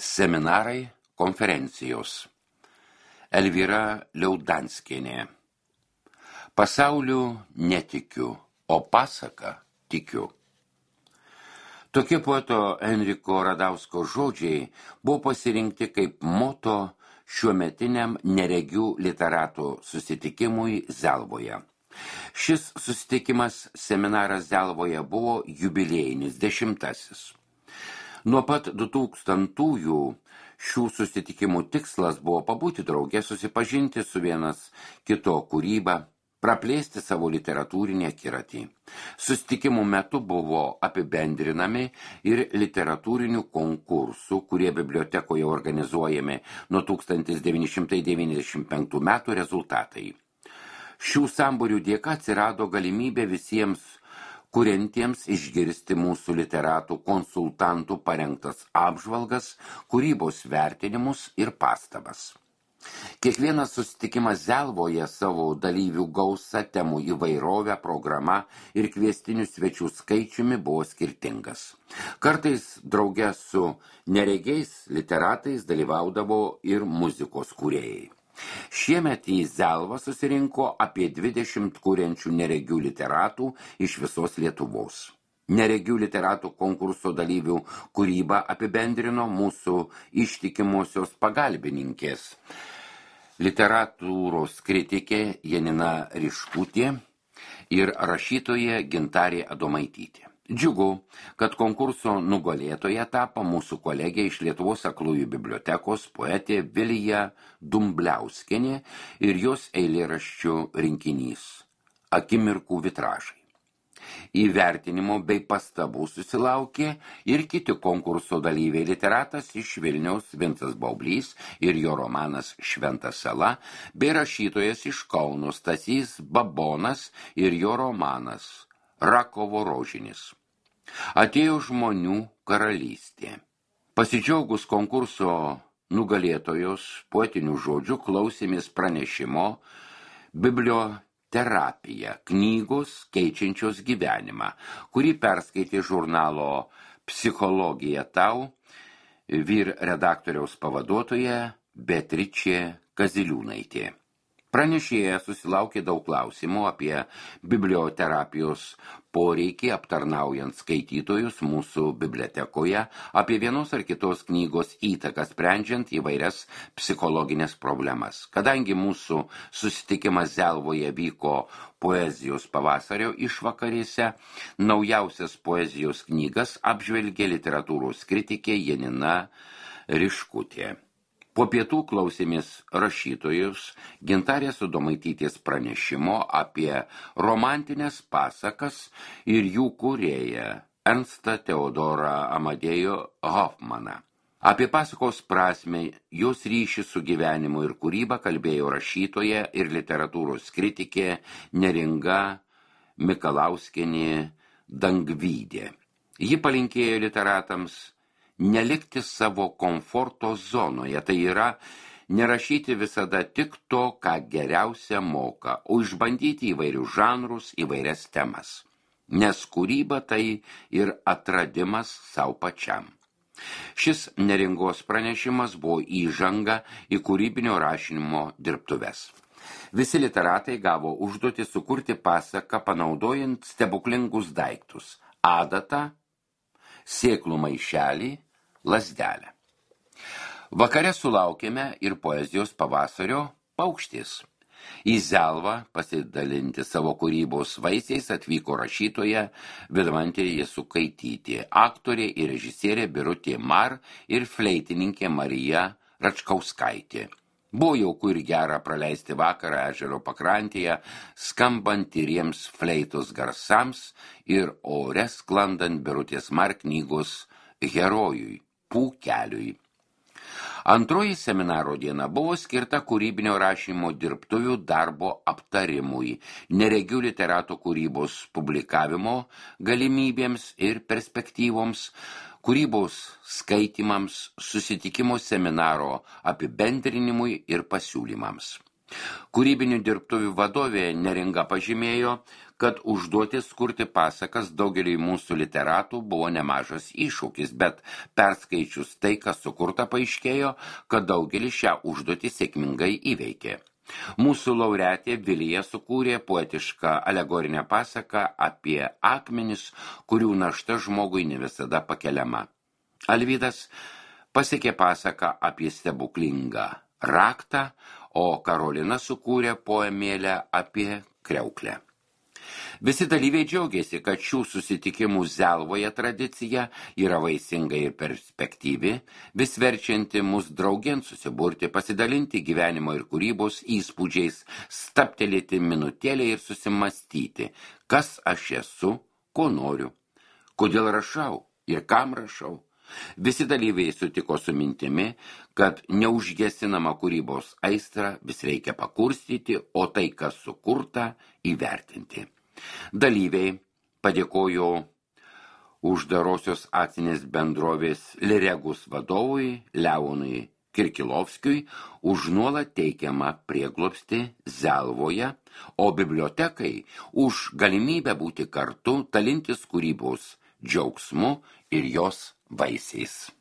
Seminarai, konferencijos. Elvyra Liaudanskienė. Pasauliu netikiu, o pasaka tikiu. Tokie poeto Enriko Radausko žodžiai buvo pasirinkti kaip moto šiuometiniam neregių literatų susitikimui Zelvoje. Šis susitikimas seminaras Zelvoje buvo jubiliejinis 10. Nuo pat 2000-ųjų šių susitikimų tikslas buvo pabūti drauge, susipažinti su vienas kito kūryba, praplėsti savo literatūrinį akiratį. Susitikimų metu buvo apibendrinami ir literatūrinių konkursų, kurie bibliotekoje organizuojami nuo 1995 metų rezultatai. Šių sambūrių dėka atsirado galimybė visiems kuriantiems išgirsti mūsų literatų konsultantų parengtas apžvalgas, kūrybos vertinimus ir pastabas. Kiekvienas susitikimas Zelvoje savo dalyvių gausa, temų įvairovę, programa ir kviestinių svečių skaičiumi buvo skirtingas. Kartais drauge su neregiais literatais dalyvaudavo ir muzikos kūrėjai. Šiemet į Zelvą susirinko apie 20 kuriančių neregių literatų iš visos Lietuvos. Neregių literatų konkurso dalyvių kūrybą apibendrino mūsų ištikimosios pagalbininkės, literatūros kritikė Janina Riškutė ir rašytoja Gintarė Adomaitytė. Džiugu, kad konkurso nugalėtoja tapo mūsų kolegė iš Lietuvos aklųjų bibliotekos poetė Vilija Dumbliauskienė ir jos eilėraščių rinkinys Akimirkų vitražai. Įvertinimo bei pastabų susilaukė ir kiti konkurso dalyviai, literatas iš Vilniaus Vincas Baublys ir jo romanas Šventa sala, bei rašytojas iš Kauno Stasys Babonas ir jo romanas Rakovo rožinis. Atėjo žmonių karalystė. Pasidžiaugus konkurso nugalėtojos poetinių žodžių klausėmės pranešimo Biblioterapija, knygos keičiančios gyvenimą, kurį perskaitė žurnalo Psichologija tau vyr redaktoriaus pavaduotoja Beatričė Kaziliūnaitė. Pranešėja susilaukė daug klausimų apie biblioterapijos poreikį aptarnaujant skaitytojus mūsų bibliotekoje, apie vienos ar kitos knygos įtaką sprendžiant įvairias psichologinės problemas. Kadangi mūsų susitikimas Zelvoje vyko poezijos pavasario išvakarėse, naujausias poezijos knygas apžvelgė literatūros kritikė Janina Riškutė. Po pietų klausėmės rašytojus Gintarės Adomaitytės pranešimo apie romantinės pasakas ir jų kūrėją Ernstą Teodorą Amadėjų Hoffmaną. Apie pasakos prasmę, jos ryšį su gyvenimu ir kūryba kalbėjo rašytoja ir literatūros kritikė Neringa Mikalauskienė Dangvydė. Ji palinkėjo literatams nelikti savo komforto zonoje, tai yra nerašyti visada tik to, ką geriausia moka, o išbandyti įvairius žanrus, įvairias temas. Nes kūryba tai ir atradimas savo pačiam. Šis Neringos pranešimas buvo įžanga į kūrybinio rašinimo dirbtuves. Visi literatai gavo užduotį sukurti pasaką panaudojant stebuklingus daiktus – adatą, sėklų maišelį, lazdelę. Vakare sulaukėme ir poezijos pavasario Paukštis. Į Zelvą pasidalinti savo kūrybos vaisiais atvyko rašytoja Vidmantė Jasukaitytė, aktorė ir režisierė Birutė Mar ir fleitininkė Marija Račkauskaitė. Buvo jauku ir gera praleisti vakarą ežero pakrantėje, skambant tyriems fleitos garsams ir ore sklandant Birutės Mar knygos herojui, Pūkeliui. Antroji seminaro diena buvo skirta kūrybinio rašymo dirbtuvių darbo aptarimui, neregių literatų kūrybos publikavimo galimybėms ir perspektyvoms, kūrybos skaitymams, susitikimo seminaro apibendrinimui ir pasiūlymams. Kūrybinių dirbtuvių vadovė Neringa pažymėjo, kad užduotis kurti pasakas daugeliui mūsų literatų buvo nemažas iššūkis, bet perskaičius tai, kas sukurta, paaiškėjo, kad daugelis šią užduotį sėkmingai įveikė. Mūsų laureatė Vilija sukūrė poetišką alegorinę pasaką apie akmenis, kurių našta žmogui ne visada pakeliama. Alvydas pasiekė pasaką apie stebuklingą raktą, o Karolina sukūrė poemėlę apie kriauklę. Visi dalyviai džiaugiasi, kad šių susitikimų Zelvoje tradicija yra vaisinga ir perspektyvi, vis verčianti mus draugėn susiburti, pasidalinti gyvenimo ir kūrybos įspūdžiais, stabtelėti minutėlę ir susimastyti, kas aš esu, ko noriu, kodėl rašau ir kam rašau. Visi dalyviai sutiko su mintimi, kad neužgesinama kūrybos aistrą vis reikia pakurstyti, o tai, kas sukurta, įvertinti. Dalyviai padėkojo uždarosios akcinės bendrovės Liregus vadovui Leonui Kirkilovskiui už nuolat teikiamą prieglobstį Zelvoje, o bibliotekai už galimybę būti kartu, dalintis kūrybos džiaugsmu ir jos vaisiais.